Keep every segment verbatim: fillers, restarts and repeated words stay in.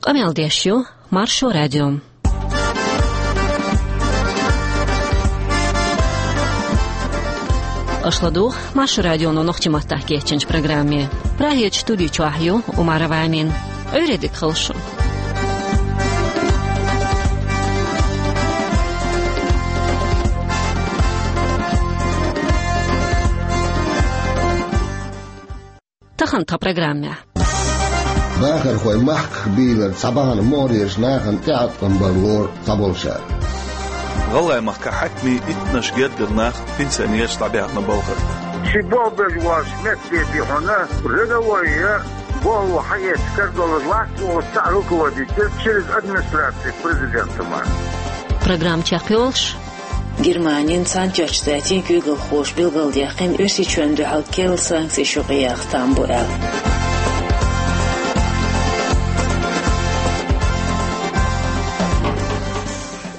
Къамел деш ю Маршо радио. Аша ладугӀу Маршо радионо нохчийн маттахь кечйинчу программе. Прагерчу студи чохь ю Умарова Амина. Ӏуьйре дика хуьлда шун. Тахана тхан программехь. Бахархой махках бийлар цхьа бахьана могӀарерчу нахана тӀеӀаткъам бан лору цхьаболчара. ГӀалгӀайн махкахь хьаькамийн иттаннаш гергара нах пенсионераш дӀабаьхна балхара. Ши болх беш волчу метте бен хьуна, рядовой я, болх хьаэцна карадолуш вац, оцу цхьа руководитель через администрацию президента мара. Программа чекхйолуш. Германин Цхьаьнатоьхначу Штатийн куьйгалхоша билгалдаьккхина, Оьрсийчоьнна дуьхьал керла санкцеш юкъаяха там бу аьлла.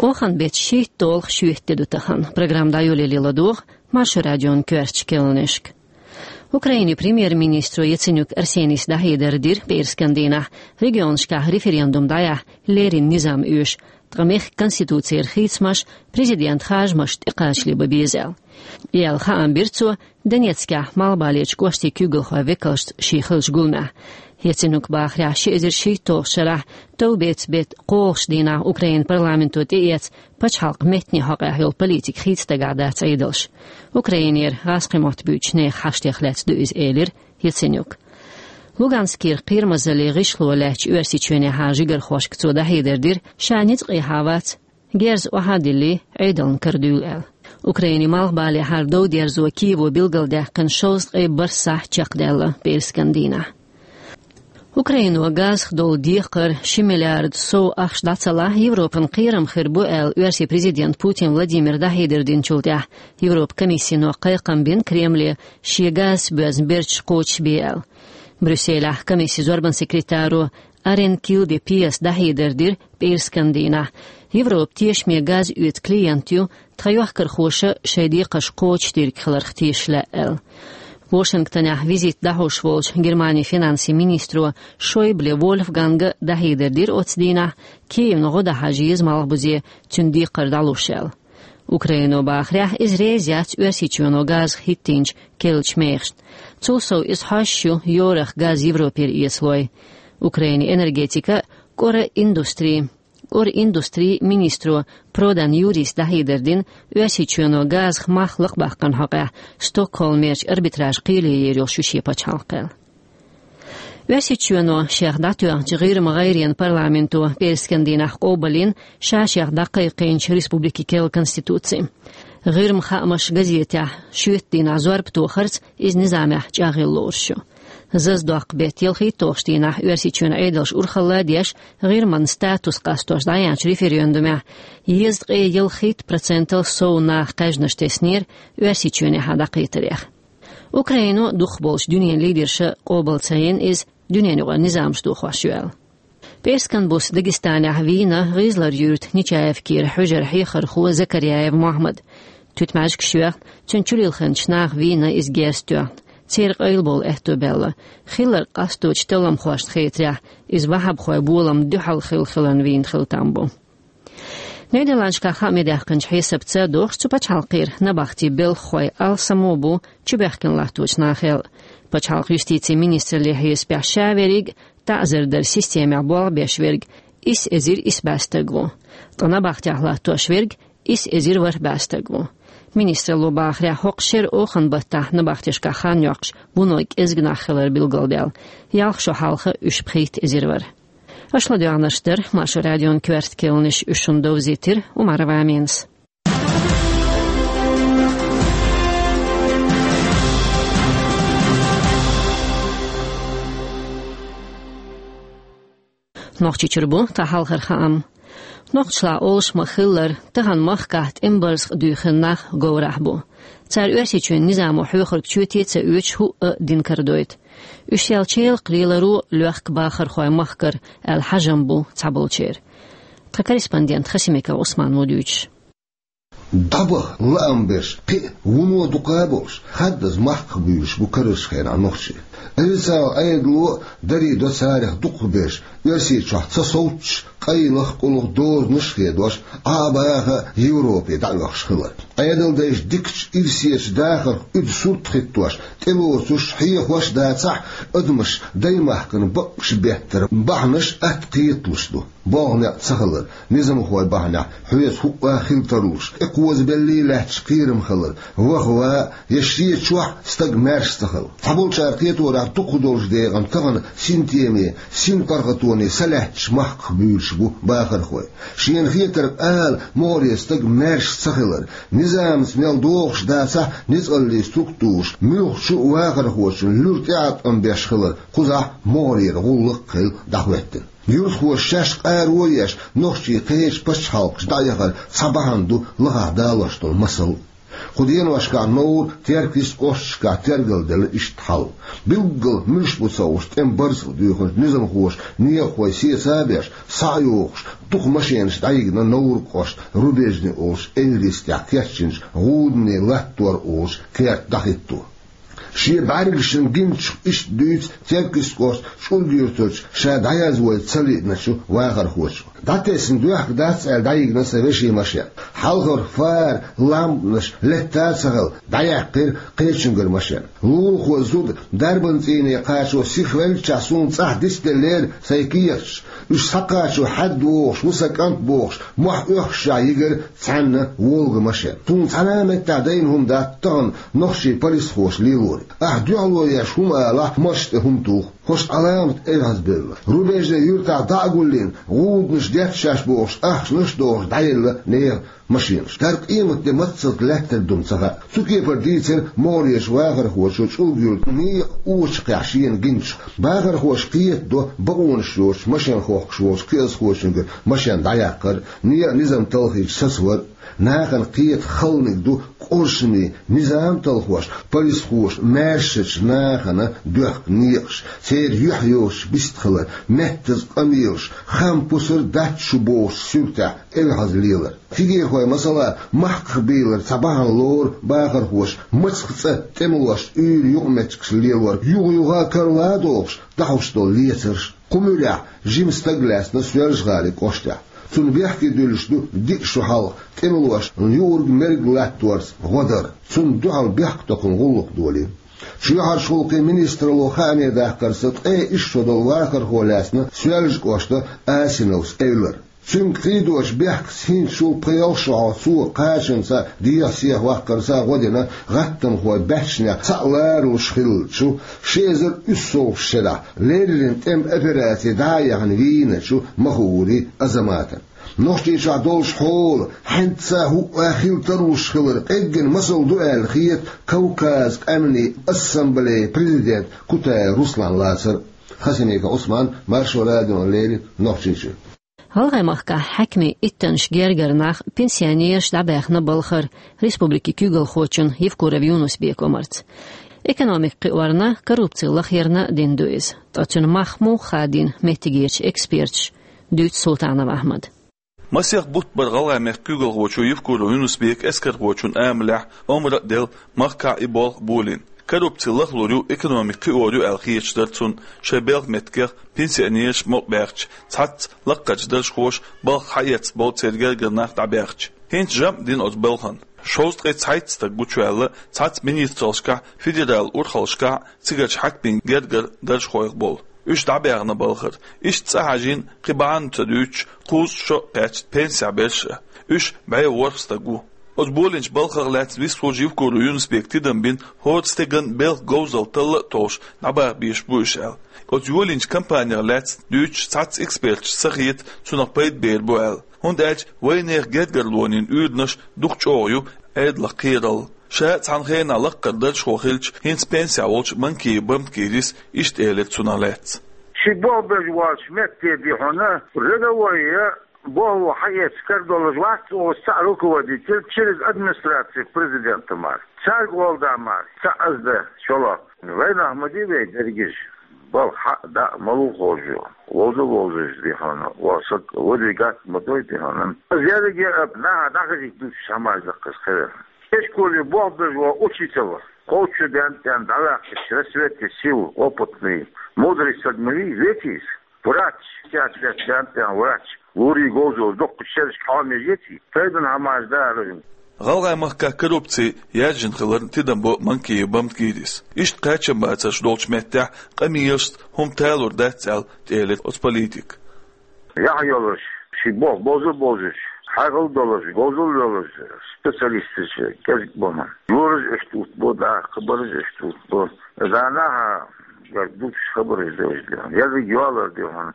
Оханан беттан шийтталгӀа шоьтан де ду тахана. Программа дӀайолале ладогӀа Маршо радион коьртачу керланашка. Украинин премьер-министро Яценюк Арсенийс дӀахьедар дира пӀераскан дийнахь, регионашкахь референдум дӀаяхьа леррина низам оьшу, ткъа мехкан конституцера хийцамаш, президентан харжамаш тӀекхачале бан беза аьлла. И аьлла хаам бира цо Донецкехь малхбалерчу кӀоштийн куьйгалхойн векалшца шен хиллачу гуламехь. Яценюкан бахарехь, ши эзар шийтталгӀачу шарахь товбецан беттан кхоалгӀачу дийнахь Украинан парламенто тӀеэцна пачхьалкхан меттанийн хьокъехь йолу политика хийца дагахь дац Ӏедалш. Украинера гӀазкхийн мотт буьйцучу нехан хьаштех лаьцна ду иза, элира Яценюка. Луганскера кхерамазаллин гӀишло лаьттачу Оьрсийчоьнехьа жигархошка цо дӀахьедар дира, ша ницкъехьа вац, герз охьа а диллий, Ӏедална карадуьйла аьлла. Украинин малхбалехьара дов дерзо Киево билгалдаьккхина шовзткъе бархӀ сахьт чекхдаьлла пӀераскан дийнахь. Украино газах долу декхар ши миллиард сов ахча дӀа ца лахь, Европана кхерам хир бу аьлла, Оьрсийн президента Путин Владимира дӀахьедар динчул тӀаьхьа Европан комиссино кхайкхам бина Кремле, шен газаца боьзна берташ кхочушбе аьлла. Брюсселехь комиссин зорбанан секретаро Арен Килде Пиас дӀахьедар дира пӀераскан дийнахь, Европа тешаме газ оьцу клиент ю, тхан йохкархоша шайн декхарш кхочушдийриг хиларх теша лаьа аьлла. Вашингтонехь визитца дӀахьош волчу Германин финансийн министро Шойбле Вольфганга дӀахьедар дира оцу дийнахь, Киевна гӀо дан хьажа еза малхбузе, цуьнан декхар дӀалуш аьлла. Украино бахарехь, иза реза яц Оьрсийчоьно газах хӀиттийначу керлачу мехашна. Цул сов иза хьожуш ю йорах газ Европера эцалой. Украинин энергетикан а, кӀоран индустрин а, кӀоран индустрин министро Продан Юрис дӀахьедар дина, Оьрсийчоьно газах мах лакхабаккхарна хьокъехь Стокгольмерчу арбитражан кхеле ер йолуш ю шен пачхьалкх аьлла. Оьрсийчоьно шех дӀатоьхначу ГӀирма гӀайренан парламенто пӀераскан дийнахь къобалйина ша шех дӀакхайкхийначу республикин керла конституци. ГӀирма хаамаш газетехь шоьтан дийнахь зорба тохарца иза низамехь чӀагӀъяла лоруш ю. Зазадоккху беттан ялхитталгӀачу дийнахь Оьрсийчоьнан Ӏедалша урхалла а деш, ГӀирман статус къастош дӀаяьхьначу референдумехь езткъе ялхитта процентал сов наха кхаьжнаш теснера Оьрсийчоьнехьа дӀакхетарех. Украино дукхахболчу дуьненан лидерша къобал ца йина иза дуьненан юкъара низамаш дохош ю аьлла. ПӀераскан буса Дагестанехь вийна ГӀизлар-юьртан Нечаевкера хьуьжаран хьехархо Закарьяев Мохьмад. Туьтмаьжгаш йоьхна, цуьнан чулилхинчу наха вийна иза герз тоьхна. Церан къайлабовла аьтто баьлла. Хилларг къасточу талламхошна хетарехь, иза ваххабхойн боламна дуьхьал хилла хиларна вийна хила там бу. Нидерландашкахь хаамехь даьккхинчу хьесапца догӀуш, цу пачхьалкхера набахтийн белхахой алсамо бу чубоьхкина латточу нахал. Пачхьалкхан юстицин министраллин хьесапехь, ша верриг а таӀзар даран системехь болх беш верг исс эзар исс бӀе стаг ву. Ткъа набахтехь латтош верг исс эзар ворхӀ бӀе стаг ву. Министралло бахарехь, хӀокху шеран оханан баттахь набахтешкахь хан йоккхуш вуно кӀезиг нах хилар билгалдаьлла. Ялх шо хьалха уьш пхийтта эзар вара. Аша ладоьгӀнарш дара Маршо радион коьрта керланаш, уьш шуна довзийтира Умарова Аминас. Нохчийчуьра бу тхан хьалхара хаам. Нохчашлахь олуш ма-хиллара, тахана махкахь тӀеман барзакъ дуьйхина нах говрахь бу. Цара Оьрсийчоьнан низамо хьоьхург чоьте а ца оьцуш хӀуъа а дина карадойту. Уьш ял челакх леларо лоьхку бахархой махкара аьлла хьажам бу цхьаболчеран. Тхан корреспондент Хасимиков Ӏусман ву дуьйцуш. ДӀабаха лаам берш кхин а вуно дукха а болуш, хаддаза махках буьйлуш бу карарчу хенахь нохчий. Официал Ӏедало дари до царах дукхахберш, Оьрсийчохь ца совцуш, къайлах-къулах дозанаш а хедош, Ӏа а баха Европе дӀаоьхуш хилар. Ӏедал дайша дикачу ирсечу дахарх уьду сурт хӀиттош, тӀелоцуш, хьехош а дацахь, адамаш даймахкана бакъ беттара бахьанаш атта кхеталуш ду. Болх-некъ ца хилар, низамхой бахьанехь хьоьца хӀуъа хила тарлуш, тӀекхозабеллий лаьтташ кхерам хилар, ваха-ван я шен чохь стаг маьрша ца хилар. Цхьаболчара кхеторехь, дукхах долчу декъана тахана синтеме, синпаргӀатоне са лаьтташ махках буьйлуш бу бахархой. Шена хетарг ала, могӀаре стаг маьрша ца хилар, низамца мел догӀуш дацахь, ницкъаллийн структураш муьлххачу вахархочун луьра тӀеӀаткъам беш хилар кхузахь могӀарера гӀуллакх а хилла дӀахӀоьттина. Юьртахоша шаьш къаро а еш, нохчий кхечу пачхьалкхашка дӀаяхар цхьа бахьана ду лахахь далош долу масал. Кху деношкахь Невран, Теркйистан кӀошташкахь тергалделла иштта хьал. Билггал муьлш бу ца хууш, тӀеман барзакъ дуьйхинчу низамхоша некъахой сеца а беш, схьа а йохуш, дукха машенаш дӀайигна Невран кӀоштан Рубежный олучу эвлара тӀехь кечйинчу ГӀуданийн Латтор олучу керта дӀахӀитто. Шен бӀаьргашна гиначух иштта дуьйцу Теркйистан кӀоштан ЧӀург-Юьртарчу ша дӀаязвайта ца лиъначу вахархочо. ДӀатесна доьхка дац аьлла дӀайигна сан вешин машен. Хьалхара фара, лампанаш летта а ца хилла, дӀаяьккхира кхечуьнгара машен. Лулахо, зуда, дарбан цӀийне кхачо сихвеллачохь суна цӀахь дицделлера сайн кехаташ. Уьш схьакхачо хьаьдда вогӀуш ву сан кӀант бохуш, мохь оьхкуш йигира цхьанна Волга машен. Суна цхьана а меттехь дайна хӀума дац тахана нохчийн полисхоша лелоре. Ахь дуьхьало еш хӀума алахь, маша тӀе хӀума туху. ХӀорш Ӏаламат эвхьазбевлла. Рубежный юьртахь дӀа а гуллийна, гӀуданаш детта шаьш бохуш, ахчанаш а дохуш, дӀаелла нехан машенаш. ХӀара къематде маццалц лаьттар ду-м ца хаьа. Цу кепара дийцира могӀарерчу вахархочо ЧӀург-Юьртан некъан очакхехь шена гиначух. Бахархоша кхетадо бакъонаш йоцуш машен хохкуш волчу кхиазхочуьнгара машен дӀаяккхар а, некъан низам талхийча сацавар а. Нахана кхета халниг ду къуршаме, низам талхош, полисхоша маьршачу нахана доьхку некъаш, церан юьхь йоцуш бистхилар, меттаза къамелаш, хам пусар дац шу бохучу суьртехь эвхьаза лелар. Фигехой, масала, махках бийлар цхьа бахьана лору бахархоша, мацах цӀа тӀемалошца уьйр юкъаметтигаш лелор, юха-юха карла а дохуш, дӀахьуш долу лецарш. Кху муьрехь жима стаг лаьцна Соьлжа-ГӀалин кӀоштехь. Цунна бехке дуьллуш ду диъ шо хьалха тӀемалошна юург-мерг латторца гӀо дар. Цунна дуьхьал бехктокхаман гӀуллакх долийна. Чоьхьарчу гӀуллакхийн министралло хааме даккхарца, ткъе исс шо долу вахархо лаьцна Соьлжа-кӀоштан Асиновс Эвлара. Цуьнга кхийдочу бехкаца хӀинца шул пхи-ялх шо хьалха цо кхачанца, дехьа-сехьа ваккхарца гӀо дина гӀаттамхойн баьччанех цхьаъ ларалуш хиллачу ши эзар уьссалгӀачу шарахь леррина тӀеман операци дӀа а яьхна вийначу Махаури Азаматана. Нохчийчохь долуш хьола хьаьнца хӀуъа хила тарлуш хилар къеггина масал ду аьлла хета Кавказан къаьмнийн ассамблеян президент Кутаев Руслан лацар а. Хасимиков Ӏусман, Маршо радиона леррина, Нохчийчуьра. ГӀалгӀай махкахь хьаькамийн иттаннаш гергара нах, пенсионераш дӀабаьхна балхара республикин куьйгалхочун Евкуров Юнус-Бекан омарца. Экономика кхиорна, коррупци лахъярна дина ду иза. Ткъа цуьнан мах муха хадийна меттигерчу эксперташа, дуьйцу Султанов Ахьмада. Масех бутт бара ГӀалгӀай мехкан куьйгалхочо Евкуров Юнус-Бека эскархочун амалехь омра а делла, махкахь и болх болийна. Коррупци лахлур ю, экономика кхиор ю аьлла хеташ дара цунна, шайн белхан меттигех пенсионераш а мукъабаьхча, цхьацца лаккхарчу даржхоша балха хьаэцна болу церан гергара нах дӀабаьхча. ХӀинца жамӀ дина оцу балхана. Шовзткъе цхьайтта стаг гучуваьлла цхьацца министраллашкахь, федералан урхаллашкахь, цигарчу хьаькамийн гергара даржхойх болу. Уьш дӀабаьхна балхара. Иштта цӀа хьажийна, кхин бахьана ца дуьйцуш, кхузткъа шо а кхаьчна пенсехь берш а. Уьш бӀе ворхӀ стаг ву. Оцу болийначу балхах лаьцна вистхуьлуш Евкуров Юнус-Бека тидам бина, хӀора стеган белхан говзалла талла а толлуш, дӀабаха безаш бу уьш аьлла. Оцу йолийначу компанех лаьцна дуьйцуш цхьацца эксперташна ца хета цунах пайда бер бу аьлла. ХӀунда аьлча вайнехан гергарлонийн уьйранаш дукха чӀогӀа ю Ӏедалх кхералла. Ша а цхьана хенахь лаккхара даржхо хилча, хӀинца пенсехь волчу Манкиев Бамт-Гирис иштта элира цунах лаьцна. Ши болх беш волчу метте, ди хьуна, рядовой я, болх хьаэцна карадолуш вац, оцу цхьаъ руководитель через администрацию президента мара. Цаьрга гӀолда мара, цхьаъ аз дан шолгӀа. Вайнах ма ди вай дерригаш. Балха хьаъ, даъ ма луъу хьожа. Вовза вовзаш, ди хьуна, ван саг вадий гатта ма дой, ди хьуна. Аз ерриге а наха дӀахазийта дуьтуш хӀамаш даккхаш хилар. Эшколе болх беш ван учитель вара. Кхочу ден тӀен дӀаваьккхача рассвете сил опытный, мудрый саг ма вий, ветис. Врач, пятьдесят лет ден тӀен врач. Лури говзал дуккха шерашка хьоме ети. Тайдан хӀамаш дара. ГӀалгӀай махках коррупци яьржина хиларна тидам бо Манкиев Бамдгирис. Иштта кхачам бацарш долчу меттехь къамелашца хӀума талур дац аьлла, тӀелира оцу политика. Яхь йолуш, ши боху бозу бозуш, хьагӀал долуш, говзал йолуш, специалисташ кӀезиг бу-м. Лораш оьшта утбо, даккха бараш оьшта утбо. Зана хьан, я дучу хабараш деваш де хьуна, я йоалар де хьуна.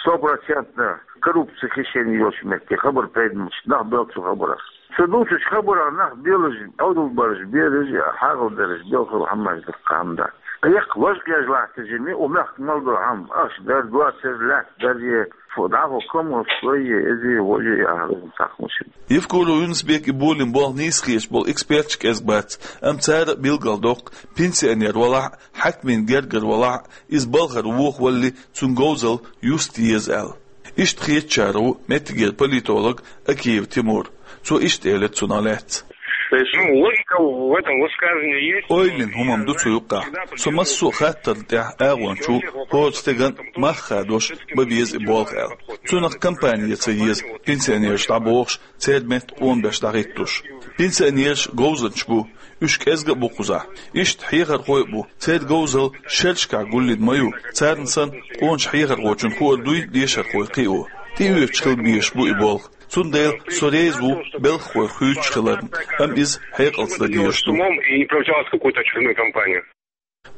Сто процентно коррупция хишена йолуш метте хабар пайдамаш нах бел цу хабарах. Ца дуцучу хабарах нах белаш, Ӏовдал бараш, бераш, хьагӀал бераш, белхал хьаммаш даккха хьамда. Эккха важа кхежа латтажи ме, у мехк мал до хьам, аш дар, доцар, лаьтта дар е, фу, дӀахо кому слое, эзе, воже, я хьалын сахмуши. Евкуров Юнусбек и болин болх нийсхийш бол экспертш кӀезг бац, ам цара билгал доккху, пенсионер валахь, хьакмин гергар валахь, из балхар воху валли, цун говзал юст еза аьлла. Иштта хетачара ву меттигера политолог Акиев Тимур. Цо иштта элира цунах лаьцна. То есть, ну, логика в этом высказывании есть. Ойлин хӀумам ду цу юккъахь. Со массо а хаттарна тӀехь агӀончу хӀора стеган мах хадош бан беза и болх аьлла. Цунах компания ца еза, пенсионераш дӀабохуш, церан метта къонабеш дӀахӀиттуш. Пенсионераш говзанчаш бу, уьш кӀезга а бу кхузахь. Иштта хьехархой а бу, церан говзал шерашкахь гуллина ма ю, царна санна къоначу хьехархочун хуур дуй дешархой кхио. ТӀеоьцуш хила безаш бу и болх. Цундела со реза ву белхахой хуьйцуш хиларна, амма иза хьекъалца дан дезаш ду. Умом и не привлекалась в какую-то очередную компанию.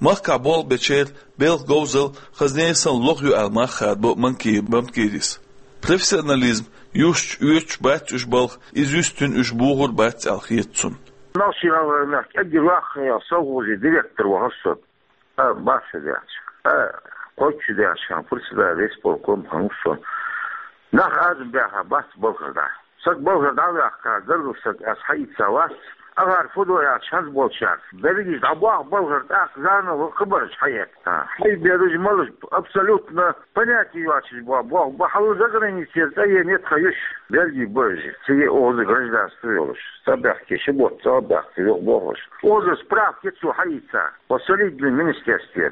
Махкахь болх бечеран белхан говзал хазне санна лоха ю аьлла мах хадабо Манкиев Бамдгирис. Профессионализм юстуш, оьцуш бац уьш балха, иза юьстина уьш бохур бац аьлла хета цунна. Нохчийн гӀалгӀай мехкан кӀеггара воккхачу совхозан директор вахара со. А, бац даьлча. А, кхоччу даьлча, хан председатель исполком хан ву со. Нах азам баьха бац балхара дӀа. Саг балхара дӀа а ваьккха, гаргара саг ас хьаийца вац, ахар фу до аьлча хӀанз болчаьрца. Берригаш дӀабоху балхара, тӀаккха заново хабарш хьаэца. Хьайбераш малаш абсолютно понятие йоцуш бо-, бо-, бо-, хьала заграницера цӀа е метта хан юш. Берриге бу уьш, цӀа е оза гражданство йолуш. Ца баьхке, ши бутт ца баьхке, юха бохуш. Оза справка цо хьаийца. По солидному министерстве.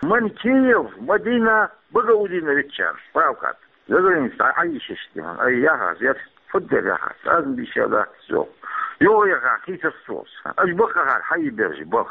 Манкиев Мадина Багаудиновича справка. Заграница дӀа Ӏайшиш тӀехьа, ай, яхьа, зер, фуд-дер яхьа, цӀазна бийша дац цо. Юха яха, хийцар цо. Аш бакъахьара хьайбераш бах.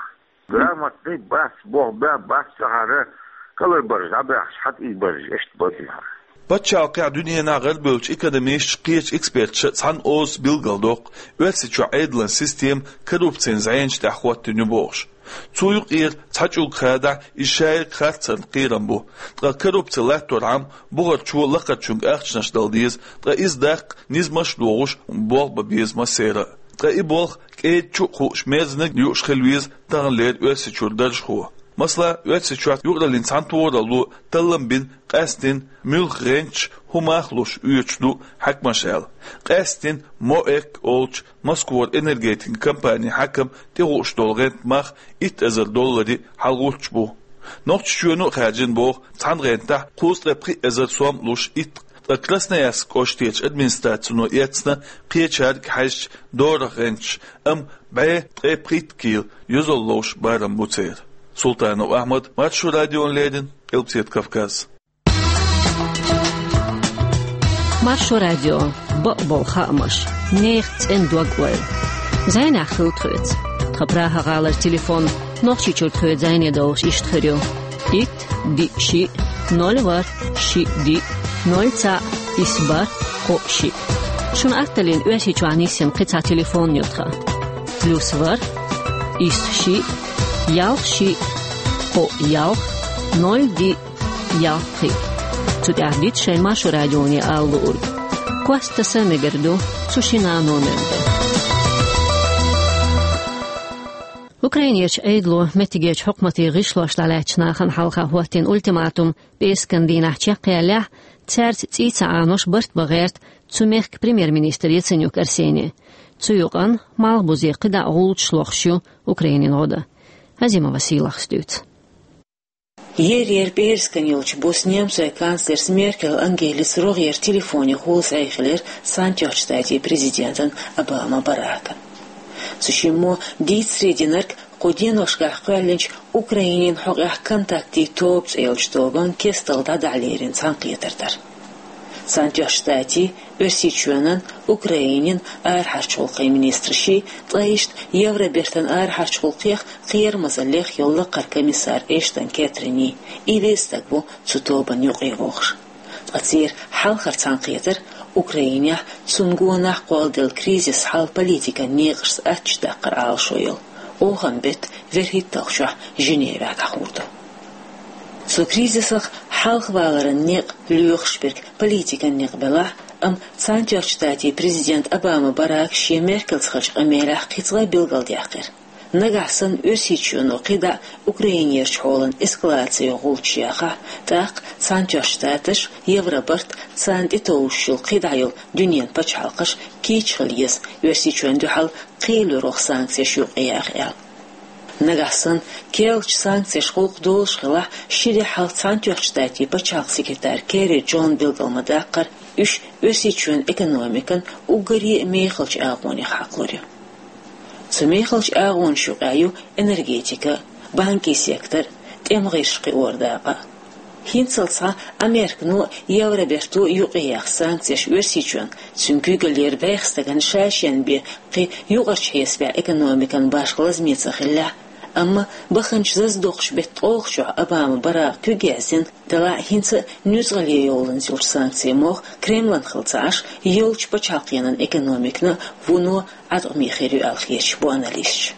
Грамотный бац, бох баь бац цахьара, калар бараш дӀабаьхьаш, хьатӀий бараш, иштта бакъахьара. Пачхьалкхехь, дуьненахь гӀарабевллачу экономисташа, кхечу эксперташа цхьана озаца билгалдоккху, Оьрсийчохь Ӏедалан система коррупцин зӀенаш тӀехь хӀоттийна ю бохуш. Цу юкъера цхьа чӀуг хадахь, иза шайга харцарна кхерам бу. Ткъа коррупци латторхьама, бухарчо лакхарчуьнга ахчанаш дала деза, ткъа иза даккха низамаш а дохуш, болх бан беза массеран а. Ткъа и болх кӀеда чу а хууш, мерзаниг а юуш хила веза таханлера Оьрсийчуьра даржхо. Масала, Оьрсийчохь юкъараллин цхьаьнатохаралло таллам бина, къаьстина муьлха гӀенташ хӀун мах луш оьцуш ду хьаькамаша аьлла. Къаьстина МОЭК олучу Москвара энергетикан компанин хьаькам тӀехууш долу гӀентан мах итт эзар долларе хьалагӀуттуш бу. Нохчийчоьно а хаьржина боху цхьана гӀентахь кхузткъе пхи эзар сом луш итт, ткъа Красноярск кӀоштарчу администрацино эцна кхечаьрга хьаьжча дорах гӀенташ, амма бӀе ткъе пхийтта кийла йозалла ловш барам бу церан. Султанов Ахьмад, Маршо радиона леррина, Къилбаседа Кавказ. Маршо радио, бакъболу хаамаш, нехан цӀена дог-ойла. ЗӀенехь хила тхоьца. Тхан Прага-гӀалара телефон Нохчийчуьра тхоьца зӀене долуш иштта хир ю: итт, диъ, шиъ, ноль, ворхӀ, шиъ, диъ, ноль, цхьаъ, исс, бархӀ, кхоъ, шиъ. Шуна атталлина Оьрсийчохь нисйина кхин цхьа телефон ю тхан: плюс ворхӀ, исс, шиъ, ялх, шиъ, кхоъ, ялх, ноль, диъ, ялх, пхиъ. Цу тӀехь дита шайн Маршо радионе ала луург. Кост таса а мегар ду цу шина номер тӀе. Украинерчу Ӏедало меттигерчу хьукматийн гӀишлош дӀалаьцначу нахана хьалха хӀоттийна ультиматум пӀераскан дийнахь чекхъяллехь, цаьрца цӀий ца Ӏанош барт бан гӀерта цу мехкан премьер-министр Яценюк Арсений. Цу юкъана малхбузе кхидӀа а гӀулчаш лохуш ю Украинин гӀо дан. Азимова Сийлахьас дуьйцу. Ер-ер пӀераскан йолчу буса немцойн канцлерс Меркель Ангелис рогӀера телефонехула зӀе хилира Цхьаьнатоьхначу Штатийн президентан Обама Баракан. Цу шиммо дийцаре динарг кху деношкахь кхоьллинчу Украинин хьокъехь «Контактийн тоба» цӀе йолчу тобан кестта дӀадахьа лерина цхьаьнакхетар дара. Цхьаьнатоьхначу Штатийн, Оьрсийчоьнан, Украинин арахьарчу гӀуллакхийн министрашийн, ткъа иштта Евробертан арахьарчу гӀуллакхех, кхерамазаллех йолу лакхара комиссар Эштон Кэтринийн. Иллиъ стаг ву цу тобанна юкъа вогӀуш. Ткъа церан хьалхара цхьаьнакхетар Украинехь цунна гонах кхолладелла кризис хьал политикан некъашца аттачу даккхар Ӏалашо йолу, охан беттан вуьрхӀитталгӀачохь Женевехь дӀахьур ду. Цу кризисах хьалхаваларан некъ лоьхуш берг политикан некъ белахь а, амма Цхьаьнатоьхначу Штатийн президент Обама Барака шен Меркельца хиллачу къамелехь кхин цкъа а билгалдаьккхира: нагахь санна Оьрсийчоьно кхидӀа а Украинерчу хьолан эскалацин гӀулчаш яхахь, тӀаккха Цхьаьнатоьхначу Штаташ, Евробарт, царна тӀетовжуш йолу кхидӀа йолу дуьненан пачхьалкхаш кийча хила еза, Оьрсийчоьнна дуьхьал кхелорах санкцеш юкъаяха аьлла. Нагахь санна керлачу санкцеша гӀуллакх долуш хилахь, ши де хьалха Цхьаьнатоьхначу Штатийн пачхьалкхан секретарь Керри Джона билгал ма-даккхара, уьш Оьрсийчоьнан экономикан уггаре а мехалчу агӀонех хьакхалур ю. Цу мехалчу агӀонаш юкъахь ю энергетика, банкийн сектор, тӀеман гӀирсаш кхиоран дакъа. ХӀинццалц схьа Американо а, Евроберто а юкъаяьхна санкцеш Оьрсийчоьнна, цуьнан куьйгаллера бӀеха стагана ша-шена бен кхин юкъарчу хьесапехь экономикан башха лазаме ца хиллехь а. Амма баханчу зазадоккхучу беттан ткъолгӀачохь Обама Барака куьг яздина, делахь а хӀинца а нуьцкъала йоланза йолчу санкцийн мох Кремлан хила ца Ӏаш, йолчу пачхьалкхенан экономикана вуно Ӏаткъаме хир ю аьлла хеташ бу аналисташ.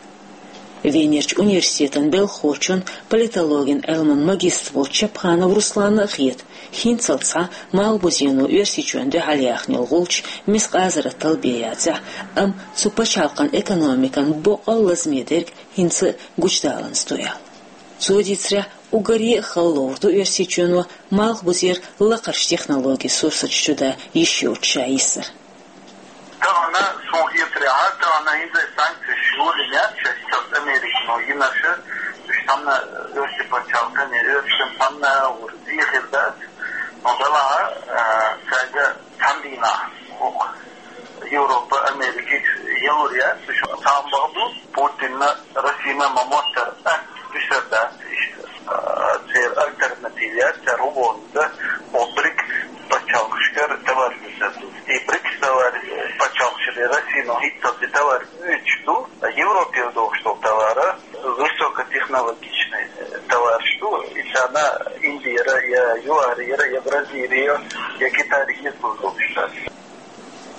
Венерчу университетан белхахочун, политологин Ӏилман магистр волчу Чапханов Русланна а хета, хӀинццалц схьа Малхбузено Оьрсийчоьнна дуьхьал яьхна йолу гӀулч мискъазарратал бен яцахь а, амма цу пачхьалкхан экономикан боккъал лазаме дерг хӀинца а гучудаланза ду аьлла. Цо дийцарехь, уггаре а хала ловр ду Оьрсийчоьно Малхбузера лакхарчу технологийн сурсаташ чудан йиш йоцуш ша йисар. Тахана, суна хетарехь, тахана хӀинца санкцеш йолийна яц шаьш, цхьацца Американо йинарш, уьш цхьанна Оьрсийн пачхьалкхана, Оьрсийчоьнна цхьанна а вуьрхӀитта зе хир дац. Но делахь а, а, цаьрга цхьана дийнахь хӀокху Европа, Америка ялур яц, уьш цхьаъ бахьа ду. Путинна, Россина ма-моттара атта дуьсур дац иштта. А, церан альтернатива яц, цара хӀун боху иза, хӀокху БРИКС пачхьалкхашкара товараш дуьсур ду. И БРИКС товараш пачхьалкхашкара Россино хӀинццалц и товараш оьцуш ду, а Европера дохуш долу товараш высокотехнологичный, э, товараш ду, и царна Индера я ЮАРера, я Бразилера, я Китайра хьесапалуш долуш дац.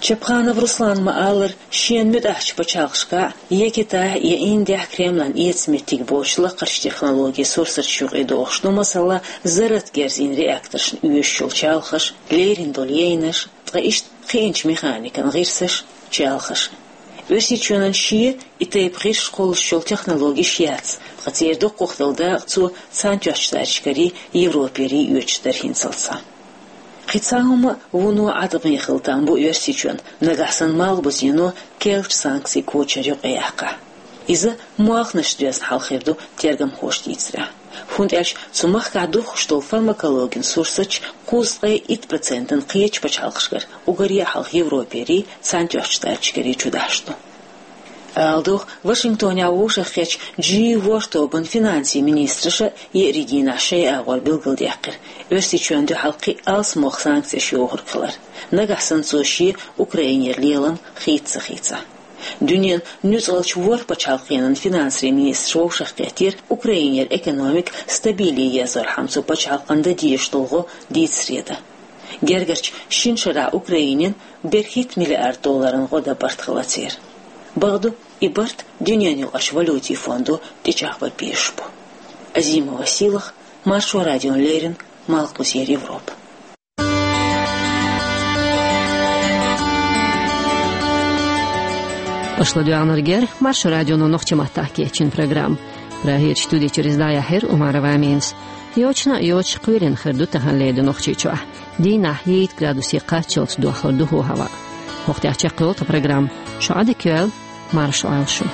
Чапханов Руслана ма-аллара, шена муьтӀахьчу пачхьалкхашкахь, я Китайхь, я Индехь Кремлан эца меттиг боцуш лакхарчу технологийн сурсаташ юкъа дохуш ду, масала, зарратан герзийн реакторшна оьшуш йолу чалхаш, лерина долу яйнаш, ткъа иштта кхиъначу механикан гӀирсаш, чалхаш. Оьрсийчоьнан шен и тайпа гӀирсаш кхуллуш йолу технологеш яц, ткъа церан дукхахдолу дакъа цо Цхьаьнатоьхначу Штаташкарий, Европерий оьцуш дара хӀинццалц схьа. Кхин цхьа хӀума вуно Ӏаткъаме хила там бу Оьрсийчоьнна, нагахь санна Малхбузено керлачу санкцийн кочар юкъаяккхахь. Иза молханашца доьзна хьал хир ду, тергамхоша дийцарехь. ХӀунда аьлча цу махкахь духкуш долу фармакологин сурсаташ кхузткъе итт процентана кхечу пачхьалкхашкара, уггаре а хьалха Европерий, Цхьаьнатоьхначу Штаташкарий чудахьаш ду. Ала догӀу, Вашингтонехь вовшахкхеттачу Джи ворхӀ тобанан финансийн министраша еарин дийнахь шайн агӀор билгалдаьккхира, Оьрсийчоьнна дуьхьал кхин а алсамох санкцеш йохург хилар, нагахь санна цо шен Украинера лелам хийца ца хийцахь. Дуьненан нуьцкъалчу ворхӀ пачхьалкхенан финансийн министраша вовшахкхеттера Украинера экономика стабиле езорхьама цу пачхьалкхана дан дезаш долу гӀо дийца среда. Гергарчу шина шарахь Украинина берхӀитта миллиард долларан гӀо дан барт хилла церан. Бакъду, и барт дуьненан юкъарчу валютийн фондо тӀечӀагӀбан безаш бу. Азимова Сийлаха, Маршо радиона леррина, Малхбузера Европа. Аша ладоьгӀнарг яра Маршо радионо нохчийн маттахь кечйина программа. Прагерчу студи чуьра иза дӀаяьхьира Умарова Аминас. Йочана а йоцуш, кхоьлина хир ду тахана ледо Нохчийчохь. Дийнахь итт градусе кхаччалц дохлур ду хӀаваъ. ХӀокху тӀехь чекхйолу тхан программа. Шу Ӏадика йойла, марша Ӏойла шу.